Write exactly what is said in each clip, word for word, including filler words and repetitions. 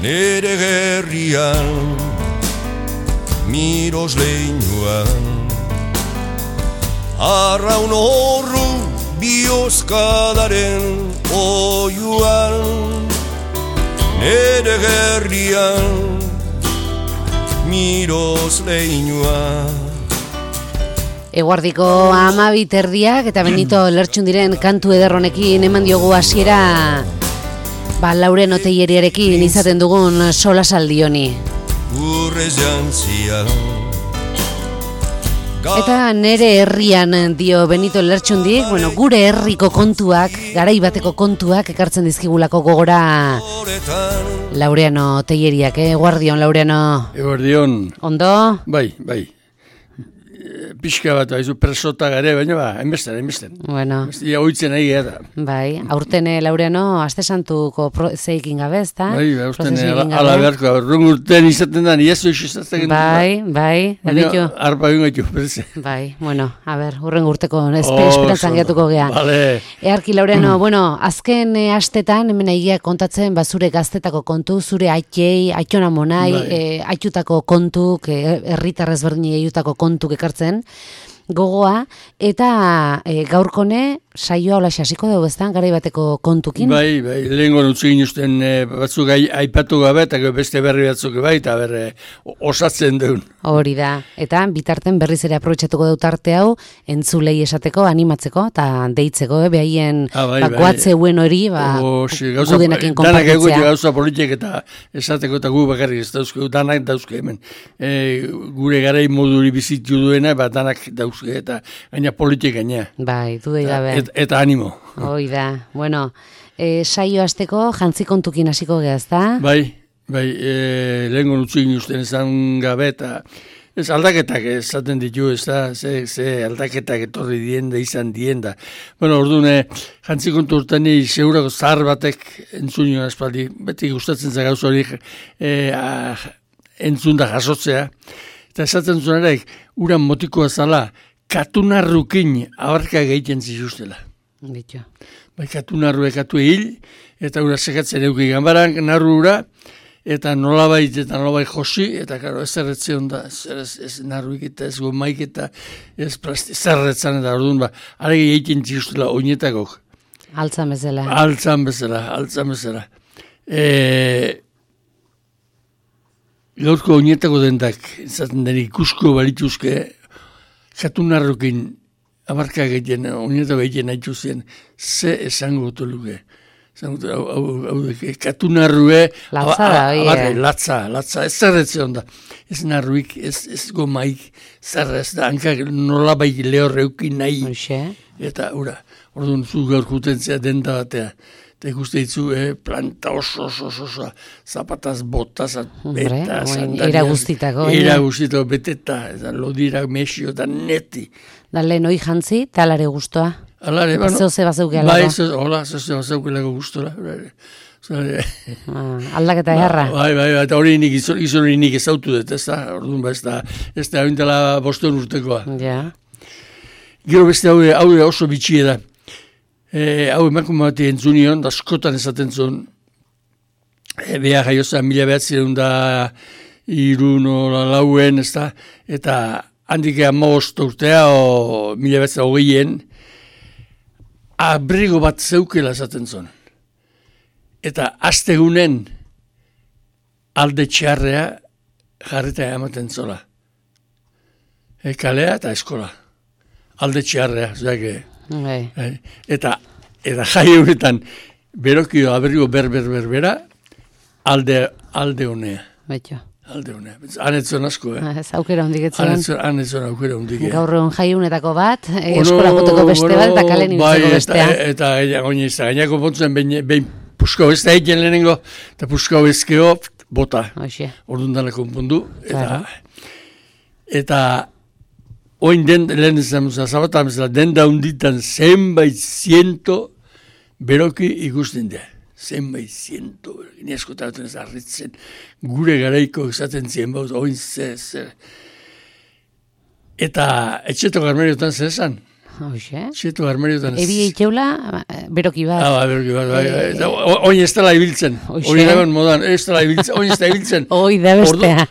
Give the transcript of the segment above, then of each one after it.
nere gerrian, miros leinuan, arraun horru bioskadaren oiuan, nere gerrian, miros leinuan. Eguardiko hamabi terdiak eta Benito Lertxundiren kantu ederronekin eman diogu hasiera ba Lauren Oteieriarekin izaten dugun solasaldi honi. Urrez jantzia. Eta nere herrian dio Benito Lertxundik, bueno, gure herriko kontuak, garai bateko kontuak ekartzen dizkigulako gogora Laureano Oteieriak, eh? Eguardion, Laureano. Eguardion. Ondo? Bai, bai. Pixka bat, baizu presota gare, baina ba, enbesten, enbesten. Bueno. Ia oitzen nahi gara. Bai, aurten Laureano, aste santuko zeikin gabe, ez da? Bai, aurten ala beharko, aurten urtean izaten da, iazu izatzen. Bai, bai, baina arpa egin gaitu, berze. Bai, bueno, a ber, urren urteko esperantzan gehiatuko gea. Vale. Earki, Laureano, bueno, azken e, astetan, hemen egia kontatzen, ba, zure gaztetako kontu, zure aitei, aitona monai, bai. e, aitutako kontuk, herritarrez berdini aiutako kontuk ekartzen, gogoa, eta e, gaurkone saioa hola hasiko dugu eztan, garai bateko kontukin. Bai, bai, lehenko nutzu ginuzten e, batzuk aipatu gabe, eta beste berri batzuk bai, eta berre osatzen duen. Hori da, eta bitarten berriz ere aprobetxatuko dut arte hau, entzulei esateko, animatzeko, eta deitzeko, eh, behaien ah, bai, bakoatze bai. Uen hori, ba, gudenakin konpartitzea. Danak egote gauza politik eta esateko eta gu bakarrik ez dauzke, danak dauzke hemen. E, gure garai moduri bizitu duena, ba, danak dauzke, eta gaina politik gaina. Bai, dudei gabe. Et, eta animo. Hoi da, bueno, e, saio hasteko jantzi kontukin hasiko geha, ezta? Bai, bai, e, lehenko nutzuin usten ezan gabe, eta ez aldaketak esaten ditu, ez da, ze, ze aldaketak etorri dien da, izan dien da. Bueno, orduan, jantzi kontu urtani, segurako zahar batek entzun joan espaldi, beti gustatzen zagauz hori e, entzun da jasotzea, eta esaten zuenarek, uran motikoa zala, katunarrukin abarka gehiten zizustela. Bitu. Bai, katunarru ekatu hil, eta ura sekatzen euki gambaran, narru ura, eta nolabait eta nolabait josi, eta karo, ez erretzeon da, ez, ez narruik eta ez gomaik eta ez plasti, zerretzan eta orduan, ba, aregi egiten zizustela oinetakok. Altzan bezala. Altzan bezala, altzan bezala. E, gaurko oinetako dendak, izaten den ikusko balituzke, katunarrukin abarka egiten, oinetako egiten nahi zuen, ze esango gotu luke. Katunarrue, latza da, oie. Latza, latza, ez zerretze onda. Ez narruik, ez, ez gomaik, zerrez da, hankak nolabaik lehorreukin nahi. Oixe. Eta, ura, orduan zu gaur jutentzea denda batea. Eta ikuste ditzu, eh, planta oso, oso, oso, oso, zapataz, botaz, beta, sandariaz. Era guztitako. Era guztitako, beteta, eta lodira, mesio, eta neti. Da lehen hoi jantzi, talare guztua. Alare, bueno. Zeu ze bazeuke alago. Bai, zeu, hola, zeu ze bazeuke alago guztora. Ah, aldaketa erra. Bai, bai, bai, eta hori nik, izan hori nik ezautu dut, ez da, orduan ba, ez da, ez da, abintela bosteun urtekoa. Ja. Gero beste hau, hau oso bitxie da. E, hau emakume bat entzunion, da askotan esaten zuen, e, beha jaiozan mila behatzireun da irun ola lauen, ez da, eta handik amabost urtea, o mila behatzera hogeien, abrigo bat zeukela esaten zuen. Eta astegunen alde txarrea jarrita ematen zola. E, kalea eta eskola. Alde txarrea, zeak, Bai. Eta, eta jai honetan, berokio abrigo berber berbera, alde, alde honea. Betxo. Alde honea. Hanetzon asko, eh? Ez aukera hondik etzen. Hanetzon aukera hondik, eh? Gaur egon jai honetako bat, eskola joteko beste bat, eta kalen initzeko bestea. Bai, eta gaine izan, gainako pontzen behin puskau ez da egin lehenengo, eta puskau ezkeo, bota. Oixe. Orduan dana konpondu. Eta, eta oin den, lehen ezan, zabatan bezala, den daunditan zenbait ziento beroki ikusten da. Zenbait ziento, gine askotatzen ez arritzen, gure garaiko esaten zien bauz, oin zer, zer. Eta etxeto garmeriotan zer esan? Hoxe. Zietu armariotan. Ebi eitxeula, beroki bat. Ah, ba, beroki bat, bai, bai. Oin ez dela ibiltzen. Hori dagoen modan, ez dela ibiltzen, oin ez da ibiltzen. Hoi da bestea.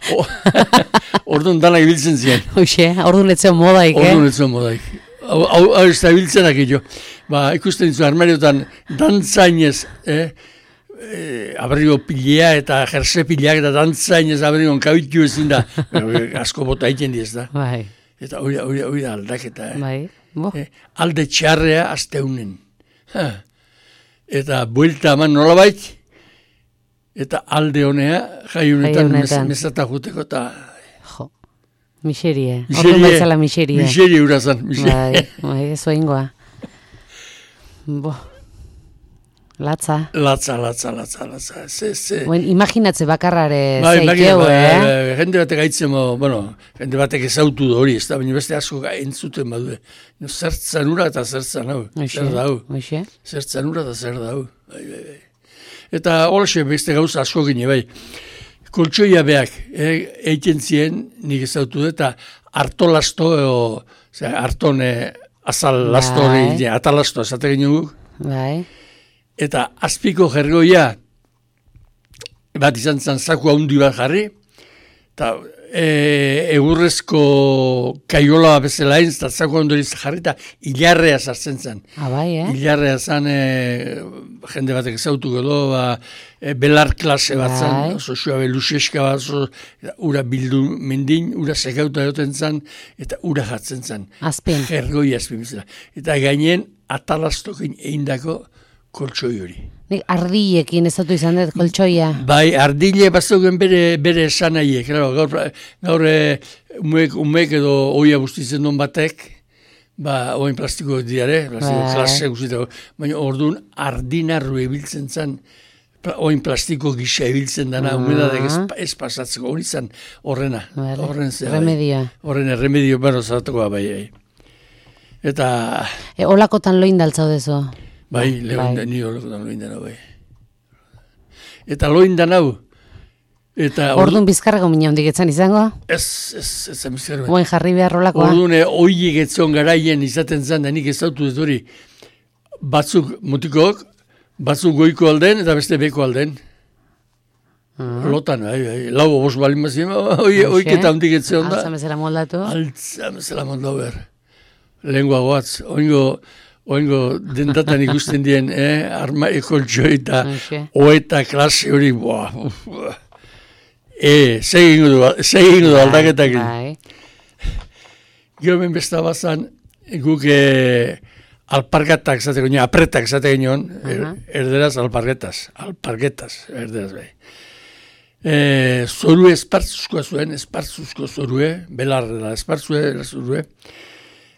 Orduan dana ibiltzen ziren. Hoxe, orduan etzen modaik, eh? Orduan etzen modaik. Hau ez da ibiltzen akillo. Ba, ikusten ditu armariotan, dantzainez, eh? E, abrigo pilea eta jerse pileak eta dantzainez abrigon kabitu ezin da. Asko bota egiten diez da. Bai. Eta hori, hori, hori da aldaketa. Eh? Bai. Eh, alde txarrea azteunen. Ha. Eta buelta eman nolabait, eta alde honea jaiunetan mesata juteko eta... Jo, miserie. Ordu baitzala miserie. Miserie urazan. Bai, bai, ez oingoa. Bo, latza. Latza, latza, latza, latza. Se, se. Buen, imaginatze bakarrare bai, zeikeu, bai, eh? Bai, jende batek aitzemo, bueno, jende batek ezautu da hori, ez da, baina beste asko entzuten badu. No, zertzan ura eta zertzan hau. Zer da hau. Zertzan ura eta zer da hau. Bai, bai, bai. Eta holaxe beste gauza asko gine, bai. Koltsoia beak, eh, eiten zien, nik ezautu da, eta hartolasto, o, hartone azal lasto hori, bai. Atalasto, esate ginen guk. Bai. Eta azpiko jergoia bat izan zen zaku haundi bat jarri, eta e, egurrezko kaiola bezala egin, eta zaku haundi jarri, eta hilarrea sartzen zen. Ah, bai, eh? Hilarrea zen, e, jende batek ezautu edo, ba, e, belar klase bat zen, bai. Oso suabe luxeska bat, oso, ura bildu mendin, ura sekauta egoten zen, eta ura jatzen zen. Azpin. Jergoia azpin bezala. Eta gainen atalastokin egindako koltsoi hori. Nik ardillekin ez dut izan dut koltsoia. Bai, ardile bazogen bere, bere esan nahi, claro, gaur, gaur umek, umek edo oia bustitzen duen batek, ba, oin plastiko diare, plastiko bai. Klase guztitako, baina orduan ardinarru ebiltzen zen, oin plastiko gisa ebiltzen dana, uh -huh. Umedadek ez, ez pasatzeko, hori zen horrena. Vale. Horren zer, remedio. Bai. Horren remedio bero zartuko bai, bai. Eta... E, olakotan loin daltzau dezo. Bai, bai. Ni olakotan loin danau, bai. Eta loin danau. Orduan bizkarrako mina hondik etzan izango? Ez, ez, ez, ez bizkarrako. Boen jarri behar rolakoa? Orduan, oiek etzon garaien izaten zan, da nik ez dautu ez hori. Batzuk mutikok, batzuk goiko alden, eta beste beko alden. Uh-huh. Lotan, bai, bai. Lau obos balin bazien, oik eta hondik etzon da. Altzamezela moldatu? Altzamezela moldatu behar. Lengua goatz, oingo... Oingo dendatan ikusten dien, eh, arma ekoltxoi eta okay. Oeta klase hori, boa, e, segin du aldaketak. Bai. Gero ben besta bazan, guk eh, alpargatak zate ginen, apretak zate ginen, uh-huh. er, erderaz alpargetaz, alpargetaz, erderaz bai. E, zorue espartzuzkoa zuen, espartzuzko zorue, belarra espartzue, zorue,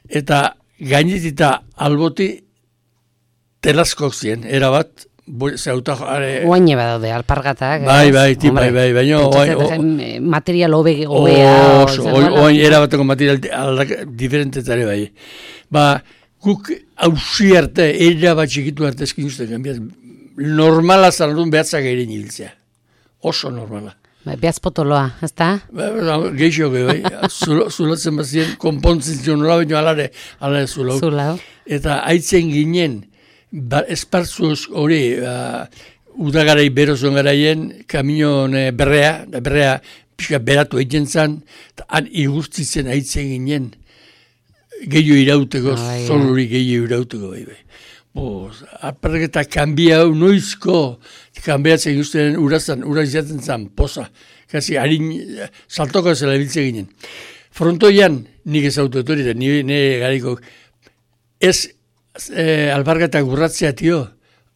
eta gainetita alboti telaskok zien, erabat, zeuta... Oaine badaude, alpargatak. Bai, bai, tip, bai, bai, baina... Material hobea... Oain, erabateko material diferentetare bai. Ba, guk hausi arte, erabat txikitu arte eskin uste, normala zanadun behatzak egin hiltzea. Oso normala. Beaz potoloa, ez da? Geixo, bai. Zulatzen bazien, konpontzen zion nola, baina alare, alare zulau. Zulau. Eta haitzen ginen, ba, espartzuz hori, ba, udagarai berozon garaien, kamion e, berrea, berrea pixka beratu egiten zan, eta han igurtzitzen haitzen ginen, gehiago irauteko, ah, zoluri gehiago irauteko, bai, bai. Boz, aparketa kanbia hau noizko kanbiatzen guztien urazan, uraz izaten zan, poza. Kasi, harin, saltoko zela biltze ginen. Frontoian, nik ez autotori, eta nire gariko, ez e, alparketa gurratzea tio,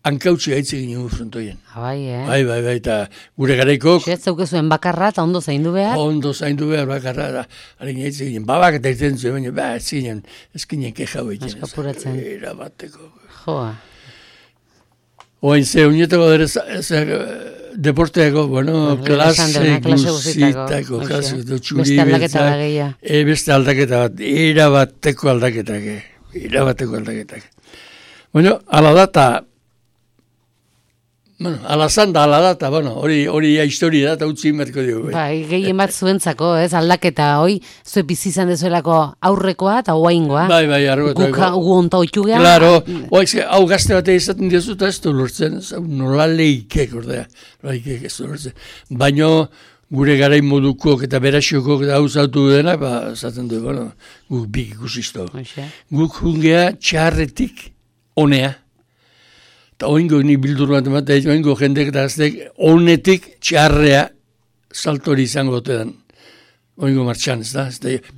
hankautzi gaitze ginen frontoian. Bai, eh? Bai, bai, bai, eta gure garaiko... Ez zaukezuen bakarra, eta ondo zaindu behar? Ondo zaindu behar, bakarra, eta harin gaitze ginen, babak eta irten zuen, baina, ba, ez ginen, ez ginen kejau egiten. Eskapuratzen. Era bateko. Joa. Oain, ze, unietako dere, deporteako, bueno, klase guzitako, klase txuri betzak, e, beste aldaketa bat, erabateko aldaketak, erabateko aldaketak. Bueno, ala da, eta Bueno, ala zan da, ala da, eta bueno, hori hori historia da, eta utzi inberko dugu. Bai, gehien bat zuentzako, ez, aldaketa, hoi, zue bizi izan dezuelako aurrekoa eta oaingoa. Bai, bai, argoetan. Guka, gu onta oitu geha. Claro, oa, hau gazte batea izaten diozu, eta ez du lortzen, nola leikek, ordea, leikek ez du lortzen. Baina, gure garain modukok eta berasiokok eta hau zautu dena, ba, zaten du, bueno, guk bik ikusizto. Guk jungea txarretik onea. Eta oingo ni bildur bat ematea, oingo jendek eta gaztek honetik txarrea saltori izango gotean. Oingo martxan, ez da?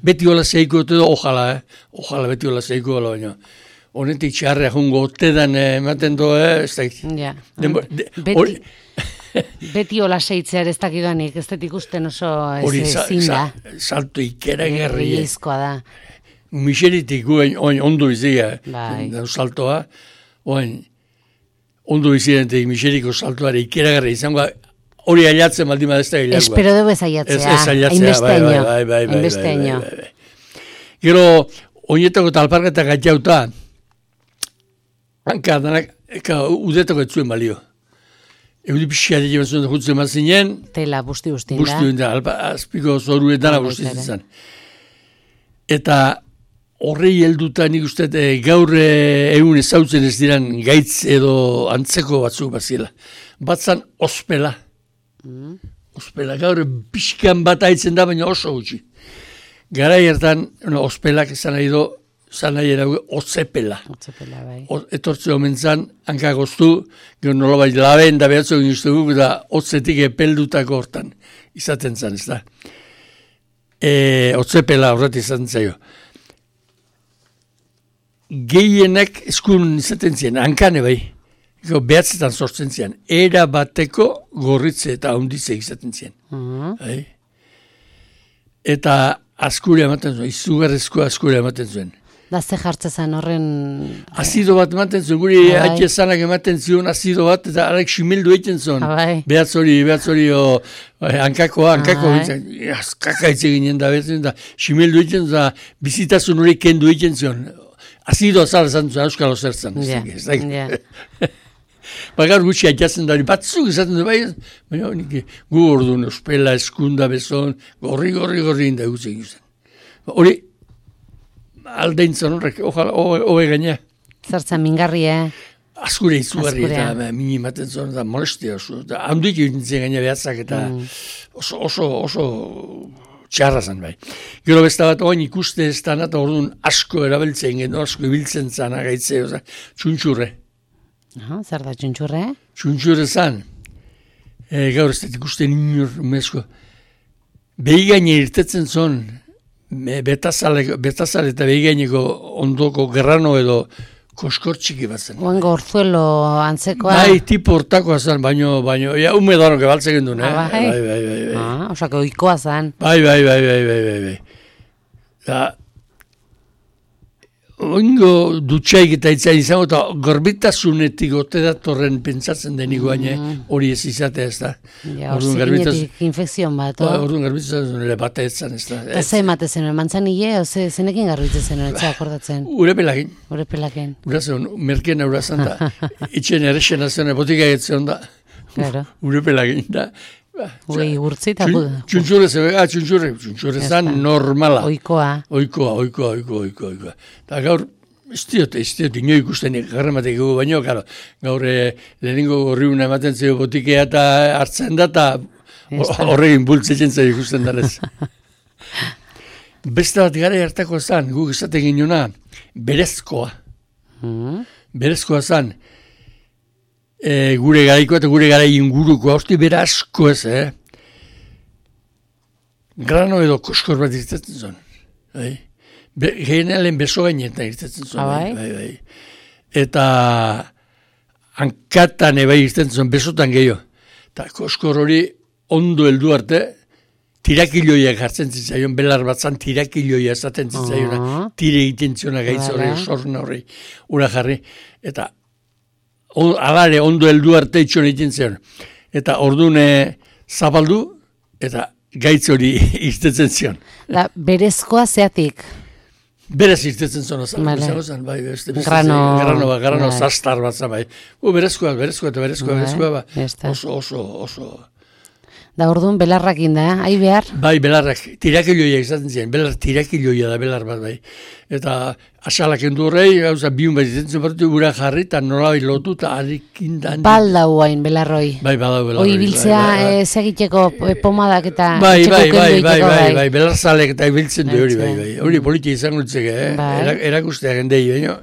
Beti hola zeiko gote da, ojala, eh? Ojala beti hola zeiko gola, baina. Honetik txarrea jungo gotean ematen do, eh? Ez da? Ja. Denbo, de, beti, or... beti hola zeitzear ez dakidanik, ez detik usten oso ezin da. Salto ikera gerri. Izkoa da. Miseritik guen ondo izia, bai. Saltoa, oin, ondo izidentek miseriko saltuare ikeragarra izango, hori ailatzen baldin badezta gilagoa. Espero dugu ez ailatzea. Ez, ez ailatzea, bai, bai, bai, bai, bai, bai, bai, bai. Gero, oinetako talparketak atxauta, hanka, danak, eka, udetako ez zuen balio. Eudi pixia dira bat zuen jutzen bat zinen. Tela, busti bustin da. Busti bustin da, azpiko zoruetana busti zizan. Eta, horrei helduta nik uste e, gaur egun ezautzen ez diran gaitz edo antzeko batzuk bazila. Batzan ospela. Mm. Ospela, gaur pixkan bat aitzen da, baina oso gutxi. Garai hartan, no, ospelak esan nahi do, zan nahi erago, otzepela. Otzepela, bai. O, etortze omen zan, hankak oztu, gero nolabait laben da behatzo egin uste guk, da otzetik epeldutako hortan izaten zan, ez da. E, otzepela horret izaten zaio. Gehienak eskun izaten ziren, hankane bai, behatzetan sortzen ziren, era bateko gorritze eta onditze izaten ziren. Uh-huh. Bai? Eta askure ematen zuen, izugarrezko askure ematen zuen. Da ze jartze zen horren... Azido bat ematen zuen, guri haitxe zanak ematen zion azido bat, eta arek simildu egiten zuen. Behatz hori, behatz hori, hankakoa, hankakoa, azkaka hitz eginen da, behatzen da, simildu egiten zuen, bizitasun hori kendu egiten zuen. Azido azala zan zuen, euskalo zertzen. Ja, ja. Bagar gutxi haitxatzen da, batzuk izaten du, bai, baina gu orduan, ospela, eskunda, bezon, gorri, gorri, gorri, inda gutzen guzen. Hori, aldeintzen horrek, hoge gaina. Zertzen mingarri, eh? Azkure izugarri, eta mini ematen zuen, eta molestia oso, eta handuik egiten gaina behatzak, eta oso, oso, oso... txarra zen bai. Gero besta bat oain ikuste ez da, eta orduan asko erabiltzen gen, asko ibiltzen zan agaitze, oza, txuntxurre. Aha, zer da txuntxurre? Txuntxurre zan. E, gaur ez da ikusten inur, mezko. Behigaine irtetzen zon, betazale, betazale eta behigaineko ondoko gerrano edo koskortxiki bat zen. Oango orzuelo antzekoa. Bai, tipo hortakoa zen, baino, baino, ja, ume dano gebaltzen gendun, eh? Ah, bai? Bai, bai, bai, bai. Ah, osako oikoa zen. Bai, bai, bai, bai, bai, bai, bai. Da, oingo dutxaik eta itzain izango, eta gorbitasunetik ote datorren pentsatzen denik baina hori ez izatea ez da. Ja, orzikinetik infekzion bat, o? Orduan garbitasun ere bate etzan ez da. Eta ze emate zenuen, mantzan hile, o ze, zenekin garbitzen zenuen, etxea akordatzen? Ure pelakin. Ure pelakin. Urazen, merkena urazan da. Itxen errexena zen, botika egitzen da. Claro. Ure pelakin da. Ui, urtzi eta... Txuntxurre zebe, ah, txuntxurre, txuntxurre zan normala. Oikoa. Oikoa, oikoa, oikoa, oikoa, oikoa. Eta gaur, ez diot, ez diot, ino ikusten garramatek egu baino, gara, gaur lehenengo gorriuna ematen zego botikea eta hartzen da, eta horregin bultzetzen zego ikusten darez. Beste bat gara hartako zan, guk esaten ginuna, berezkoa. Berezkoa zan, E, gure garaiko eta gure gara inguruko, hausti bera asko ez, eh? Grano edo koskor bat irtetzen zuen. Bai? Generalen beso gainetan irtetzen zuen. Bai? Bai, bai. Eta hankatan ebai irtetzen zuen, besotan gehiago. Eta koskor hori ondo heldu arte, tirakiloiak jartzen zitzaion, belar batzan tirakiloia esaten zitzaiona, uh -huh. tire egiten ziona gaitz horri, sorna horri, ura jarri, eta alare ondo heldu arte itxon egiten zion. Eta ordune zabaldu, eta gaitz hori irtetzen zion. Da, berezkoa zeatik? Berez irtetzen zona zan, Vale. zan, bai, beste, beste, Grano, grano, ba, grano bai. zastar bat zan, bai. U, berezkoa, berezkoa, eta berezkoa, Bai, berezkoa, ba. ya está. Oso, oso, oso. Da orduan belarrakin da, ai behar? Bai, belarrak, tirakilloia izaten ziren, belar tirakilloia da, belar bat, bai. Eta asalak endu horrei, gauza, biun bat izaten zen gura jarri, eta nola bai lotu, eta harikin da. Baldau hain belarroi. Bai, badau belarroi. Hoi biltzea bai, bai, bai. eh, segiteko eh, pomadak eta Bai, etxeko bai, bai, kendu bai, egiteko, bai, bai, belarzalek eta ibiltzen du hori, bai, bai. Biltzen. Hori politia izango litzeke, eh? Bai. Era- Erakustea gendei, baino.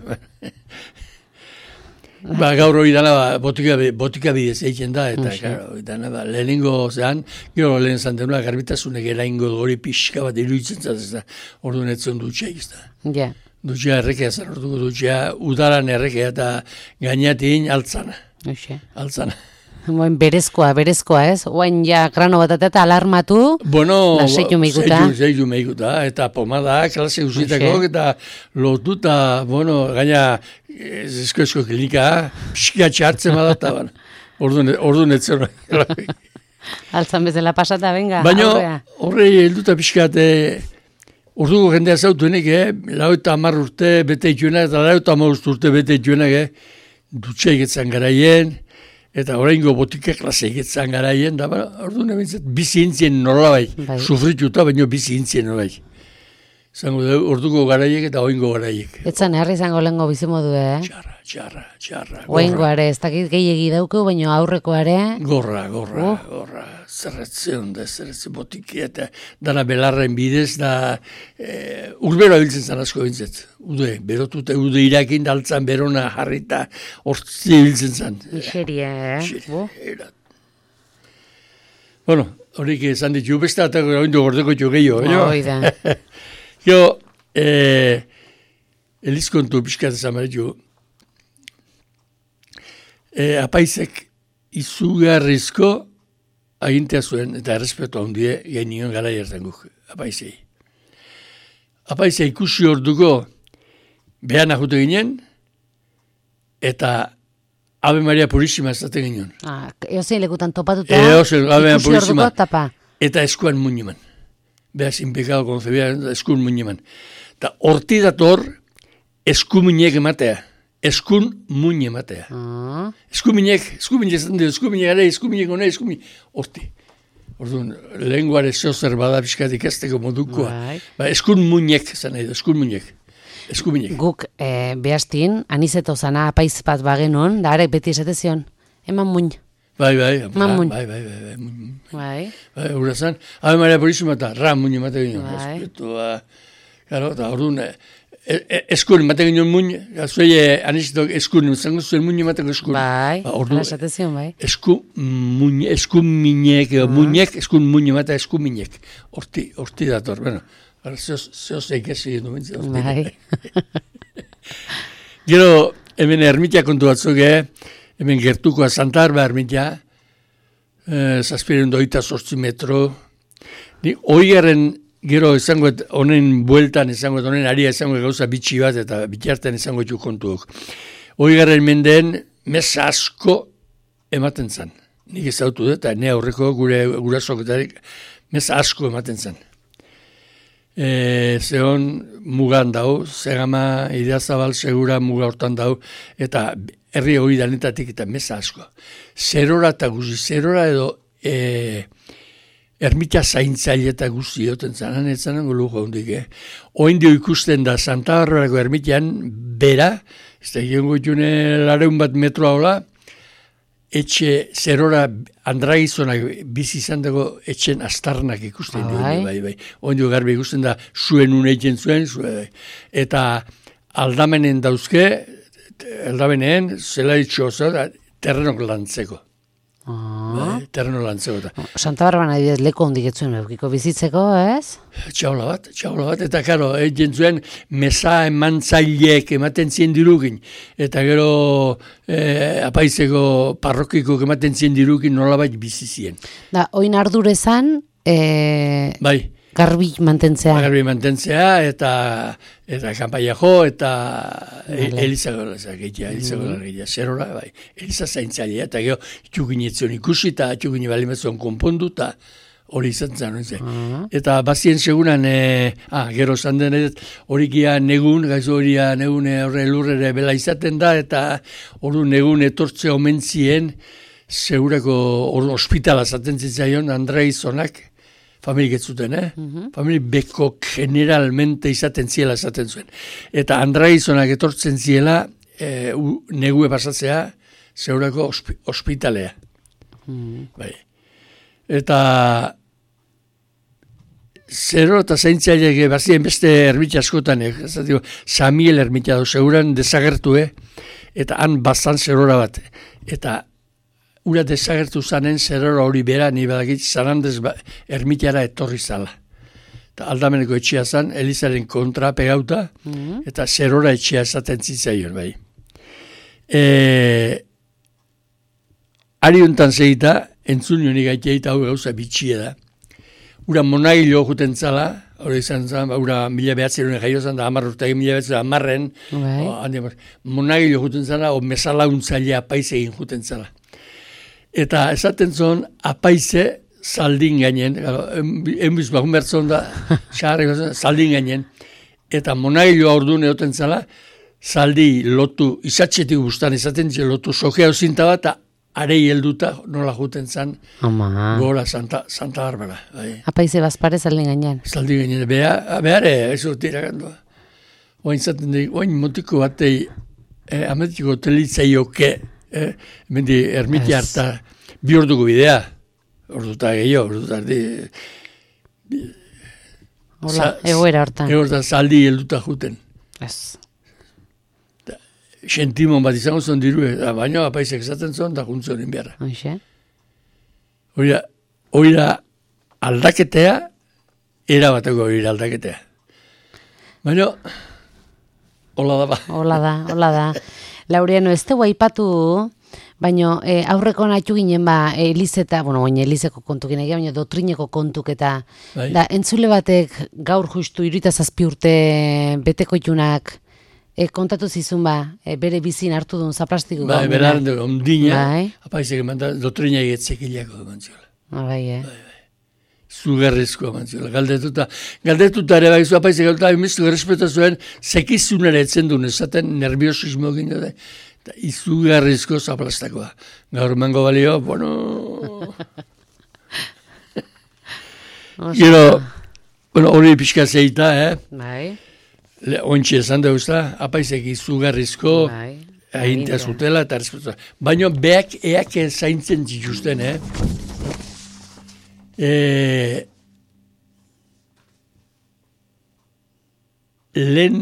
Ba, gaur hori dana, ba, botika, botika bidez egiten da, eta, Uxe. claro, hori dana, ba, lehenengo zean, gero lehen zantenua, garbitasunek eraingo du hori pixka bat iruditzen zaz, ez da, orduan etzen dutxea, ez da. Ja. Dutxea errekea zan, orduko dutxea, udaran errekea eta gainatin altzana, Hoxe. altzana. Boen berezkoa, berezkoa, ez? Oain ja grano bat eta alarmatu, Bueno, Lasaitu meikuta. Zeitu, zeitu meikuta, eta pomada, klase usitako, Hoxe. eta lotuta, bueno, gaina, esko-esko klinika, pixka txartzen badata, ban. Orduan, orduan etzen. altzan bezala pasata, venga, Baina, aurrea. horrei helduta pixkat, eh, orduko jendea zautuenik, eh, lau eta hamar urte bete ituenak, eta lau eta hamar urte bete ituenak, eh, dutxeik etzan garaien, eta oraingo botika klase egetzan garaien, da, ba, orduan ebintzat, bizi intzien nolabait, Bai. sufrituta, baino bizi intzien nolabait. Zango da, orduko garaiek eta oingo garaiek. Etzan herri izango lehengo bizimodu, eh? Txarra, txarra, txarra. Oaingo are, ez dakit gehiegi dauko, baina aurreko are, Gorra, gorra, Oh. gorra. Zerretzen da, zerretzen botiki eta dana belarren bidez da e, urbero abiltzen zan asko bintzet. Ude, berotuta, ude irakin daltzan berona jarrita hortzi biltzen zan. miseria, eh? Bu. Era. Bueno, horik esan ditu, beste eta oindu gordeko txu gehiago. baina- Hoi da. Jo, eh, elizkontu pixkat esan baretu, eh, apaizek izugarrizko agintea zuen, eta errespetu handie, gainion gara jertzen guk, apaizei. Apaizei ikusi orduko behan ajute ginen, eta Ave Maria Purísima ezaten ginen. Ah, eozein lekutan topatuta, Eozein, Ave ikusi Purísima. orduko tapa. Eta eskuan muñeman. Beha, sin pecado concebida, eskun muñeman. Eta horti dator, eskuminek ematea. Eskun muñe ematea. Ah, Eskuminek, eskuminek esan dira, eskuminek gara, eskuminek hona, eskuminek, horti. Orduan, lenguare zozer bada pixkat ikasteko modukoa. Bai. Ba, eskun muñek, zan nahi da, eskun muñek. Eskuminek. guk eh, behastin, anizeto zana apaiz bat bagenon, da arek beti esate zion, eman muin. Bai, bai, Mamun. bai, bai, bai, bai, muñ. Bai, Bai, hura zan, Ave Maria Purísima eta ra muñe emate ginen. Bai. Respetua, claro, eta orduan, e, e, eskun emate ginen muñ, zuei anizitok eskun, zango zuen muñ emateko eskun. bai, Ba, hala orduan, esate zion, bai. esku muñ, eskun minek, edo muñek, eskun muñ emate eskun minek. Horti, horti dator, bueno, zehoz eikesi gendu bintzen. Bai. Gero, hemen ermitia kontu batzuk, eh? Hemen gertukoa Santa Arba ermitia, eh, zazpiren doita sortzi metro. Ni, oigaren gero izangoet honen bueltan, izangoet honen aria izangoet gauza bitxi bat, eta bitartean izangoet ju kontuok. Oigaren mendeen meza asko ematen zan. Nik ezautu dut, eta ne aurreko gure gurasoketarik meza asko ematen zan. E, zehon mugan dau, zegama Idiazabal segura muga hortan dau, eta herri hori danetatik eta meza asko. Zerora eta guzi, zerora edo e, ermita zaintzaile eta guzti joten zanan, ez zanango lujo hondik, eh? Oindio ikusten da Santa Barbarako ermitian, bera, ez da giongo june lareun bat metroa hola, etxe zerora andragizonak bizi izan dago etxen astarnak ikusten dio, Bai. bai, bai. Ondio garbi ikusten da zuen uneitzen zuen, zuen, eta aldamenen dauzke, aldameneen, zela ditxo oso, terrenok lantzeko. Ah. Bai, terreno lantzeko. Eta. Santa Barban adibidez leku hondik etzuen eukiko bizitzeko, ez? Txaula bat, txaula bat, eta karo, egin zuen meza emantzaileek ematen zien dirukin, eta gero eh, apaizeko parrokiko ematen zien dirukin nolabait bizi zien. Da, oin ardurezan, eh, Bai, garbi mantentzea. garbi mantentzea, eta eta kanpaia jo, eta Vale. Eliza Gola gehiagia, Eliza Gola gehiagia, zerora, bai, Eliza zaintzailea, eta gero txukin etzion ikusi, eta txukin balimatzen konpondu, eta hori izan zen. Uh-huh. Eta bazien segunan, e, ah, gero zan denet, horikia negun, gaizu horia negun horre lurrere bela izaten da, eta hori negun etortze omentzien, segurako hori ospitala zaten zitzaion, Andrea Izonak, familik ez zuten, eh? Uh-huh. Familik beko generalmente izaten ziela esaten zuen. Eta Andrea Izonak etortzen ziela, e, u, negue pasatzea, segurako ospi, ospitalea. Uh-huh. Bai. Eta zero eta zaintzaileak bazien beste ermitxa askotan, eh? Samiel ermitxa du, seguran desagertu, eh? Eta han bazan zerora bat. Eta ura desagertu zanen zerora hori bera, ni badakit Zanandez ba, ermitara etorri zala. Eta aldameneko etxea zan, Elizaren kontra pegauta, mm-hmm. eta zerora etxea esaten zitzaion, bai. E, ari hontan zegita, entzun nionik gaiteita hau gauza bitxia da. Ura monagilo juten zala, hori izan zan, ura mila behatzeroen jaio zan, da hamar urteak mila behatzeroen amarren, right. Monagilo juten zala, o mesalaguntzailea apaize egin juten zala. Eta esaten zon, apaize zaldin gainen, enbiz bakun bertzon da, zaldin gainen, eta monagiloa orduan egoten zala, zaldi lotu, izatxetik guztan, izaten zi lotu, sokea ozinta bat, eta arei helduta nola juten zan, gora Santa, Santa Barbara. Bai. Apaize bazpare zaldin gainen. Zaldin gainen, beha, behare, ez dut iragandua. Oain zaten dik, oain motiko batei, eh, ametiko telitzaioke, Eh, mendi ermitia harta bi orduko bidea, orduta gehiago, orduta ardi. Hola, egoera hortan. Egoera zaldi helduta juten. Ez. Sentimon bat izango zon diru, baina apaizek esaten zon, da juntzon inbiarra. Hoxe. Oira, oira aldaketea, era bateko oira aldaketea. Baina, hola da ba. Hola da, hola da. Laureano, ez tegu aipatu, baina e, aurreko natxu ginen ba, Elizeta, bueno, baina Elizeko kontuk ginen, baina doktrineko kontuk eta bai. Da, entzule batek gaur justu iruita zazpi urte beteko itunak e, kontatu zizun ba, e, bere bizin hartu duen zaplastiko bai, gaur. Bai, beran dugu, ondina, bai. Apaizek emanda, doktrina egetzekilako mantziola. Ah, bai, eh. Bai, bai. Zugarrezkoa mantziola, galdetuta. Galdetuta ere bai, zu apaizek galdetuta, emistu errespeta zuen, zekizunera etzen duen, esaten nerviosismo egin dute, eta izugarrezko zaplastakoa. Gaur mango balio, bueno... Gero, bueno, hori pixka zeita, eh? Bai. Ontsi esan dauzta, apaizek izugarrezko, bai. Ahintea zutela, eta errespeta. Baina beak eak zaintzen zituzten, eh? E, lehen,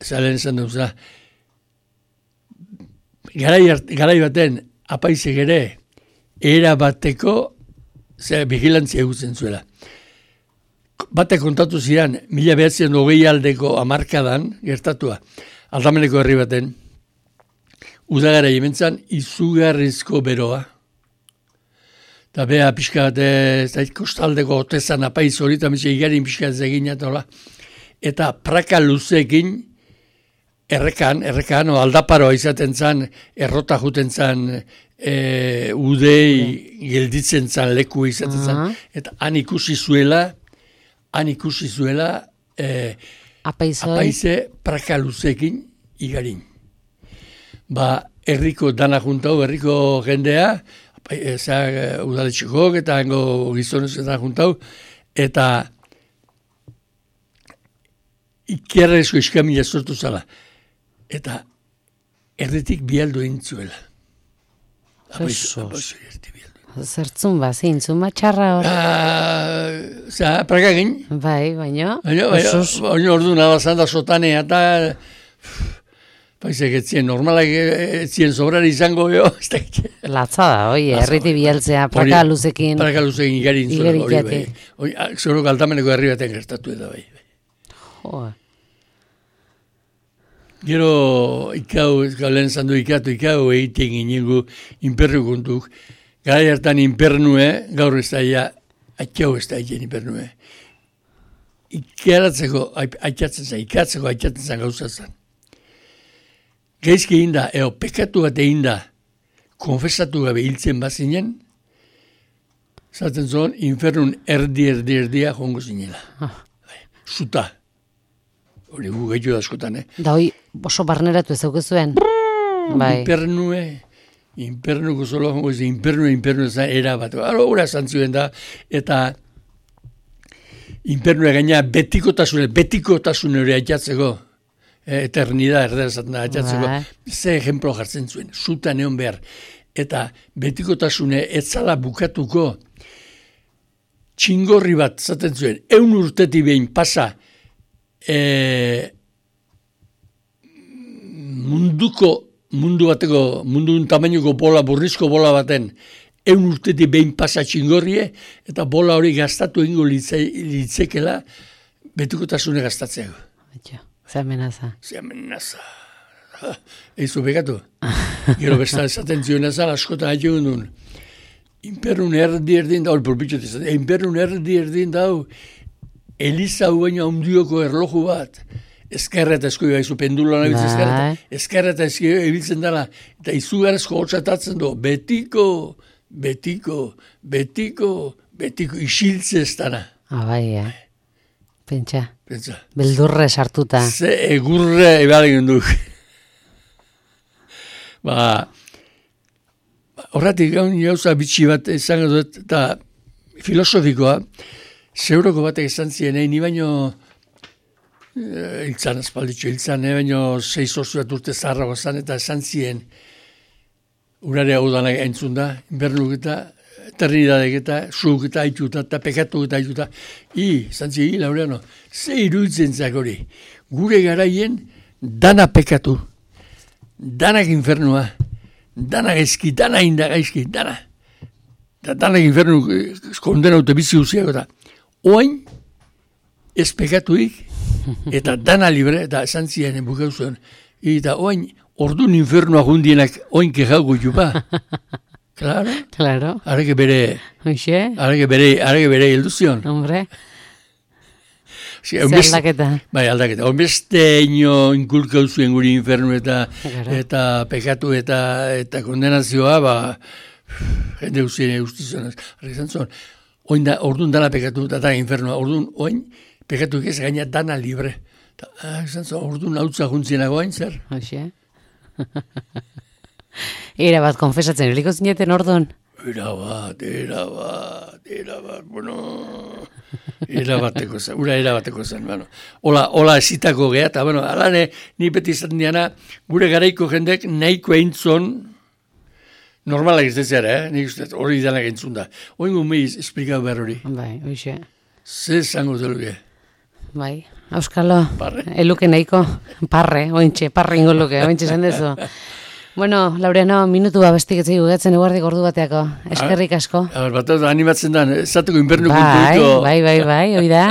zalen esan duzela, garai, garai baten apaizek ere, era bateko, ze, vigilantzia egutzen zuela. Batek kontatu ziren, mila behatzen hogei aldeko amarkadan, gertatua, aldameneko herri baten, udagara jementzan, izugarrizko beroa, eta beha pixka bat, ez kostaldeko otezan apaiz hori, eta mitxe igarin pixka ez egin, eta praka luzeekin, errekan, errekan, o aldaparoa izaten zan, errota juten zan, e, udei okay. Gelditzen zan, leku izaten uh-huh. zan, eta han ikusi zuela, han ikusi zuela, e, apaize praka luzeekin igarin. Ba, herriko dana juntau, herriko jendea, Eza udaletxekok eta hango gizonez eta juntau, eta ikerrezko iskamila sortu zala. Eta erditik bialdo intzuela. Eso. Zertzun ba, zintzun ba, txarra hor. Zer, praga egin. Bai, baina. Baina, baina ordu nabazan da sotanea eta... Paizek etzien, normalak etzien sobrari izango jo. Latza da, oi, erriti bieltzea, praka luzekin. Praka luzekin igarin zuen hori bai. Hori, zoro galtameneko herri baten gertatu eta bai. Joa. Gero, ikau, lehen zandu ikatu, ikau egiten ginengu imperru kontuk. Gara hartan impernue, gaur ez da ia, atxau ez da egin impernue. Ikaratzeko, aitzatzen zen, ikatzeko aitzatzen zen gauzazan. Gaizki egin da, eo, pekatu bat egin da, konfesatu gabe hiltzen bazinen, zaten zuen, infernun erdi, erdi, erdia jongo zinela. Ah. Zuta. Hori gu gehiago askotan, eh? Da hoi oso barneratu ez aukezuen. Bai. Infernue, infernuko zolo jongo zen, infernue, infernue zen, erabat. Hora, hora zantzuen da, eta infernue gaina betikotasune, betikotasune hori aitzatzeko, eh, eternidad erdezatzen da aitzatzeko, ze ejemplo jartzen zuen, zuta neon behar, eta betikotasune etzala bukatuko, txingorri bat zaten zuen, eun urteti behin pasa, e, munduko, mundu bateko, mundun tamainuko bola, burrizko bola baten, eun urtetik behin pasa txingorrie, eta bola hori gastatu egingo litze, litzekela betikotasune gastatzeako. Etxo, ze amenaza. Ze amenaza. Eizu begatu. Gero besta esaten zioen azal, askotan haio duen. Imperun erdi erdin dau, polpitxot esaten, imperun erdi erdin dau, Eliza huaino handioko erloju bat, eskerra eta eskoi gaizu, penduloan abitzen eskerra, eskerra eta eskoi ebiltzen dela, eta izugarezko hortzatatzen du, betiko, betiko, betiko, betiko, isiltze ez dana. Ah, bai, eh? Pentsa. Pentsa. Beldurre sartuta. Ze egurre ebalen duk. Ba, horretik gaun jauza bitxi bat izango dut, eta filosofikoa, zeuroko batek esan ziren, ni baino hiltzan azpalditxo, hiltzan, ne baino sei sortzu bat urte zaharrago zan, eta esan ziren, urare hau dana entzun da, inbernuk eta, eternidadek eta, zuk eta aituta, eta pekatu eta aituta, i, esan ziren, i, Laureano, ze iruditzen zak hori, gure garaien dana pekatu, danak infernua, danak gaizki, dana inda gaizki, dana, da danak infernu kondena dute bizi uziak, eta oain, ez pekatuik, eta dana libre, eta esan ziren bukau zuen, eta oain, ordun infernua jundienak oain kejauko jupa. Claro. Claro. Arreke bere, Oixe. arreke bere, arreke bere ilduzion. Hombre. Si, Zer aldaketa. Bai, aldaketa. Onbeste ino inkulkau zuen guri infernu eta, eta pekatu eta, eta kondenazioa, ba, jende guztien ustizionaz. Arreke zantzon, oin da, orduan dana pekatu eta da infernua, orduan oin pekatu ez gaina dana libre. Ta, ah, zantzon, orduan hautza juntzienago hain zer. Oixe. Era bat, konfesatzen, heliko zineten orduan? Era bat, era bat, era bat, bueno, era bateko zen, ura era bateko zen, bueno. Ola, ola esitako geha, eta, bueno, alane, ni beti izaten diana, gure garaiko jendek nahiko eintzon, normalak ez dezera, eh? Nik uste, hori danak entzun da. Oingo meiz, esplikau behar hori. Bai, oixe. Ze zango zeluke? Bai, auskalo, Parre. eluke nahiko, parre, ointxe, parre ingo luke, ointxe zen dezu. Bueno, Laureano, minutu babestik etzai gugatzen eguardik ordu bateako. Eskerrik asko. A ber, bat animatzen da, esateko inbernu bai, kontuiko. Bai, bai, bai, hoi da.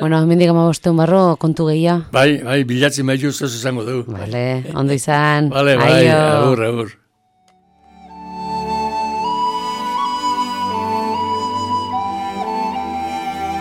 Bueno, mendik amabosteun barro kontu gehiago. Bai, bai, bilatzen bai juzaz izango dugu. Vale, ondo izan. Vale, bai, agur, agur.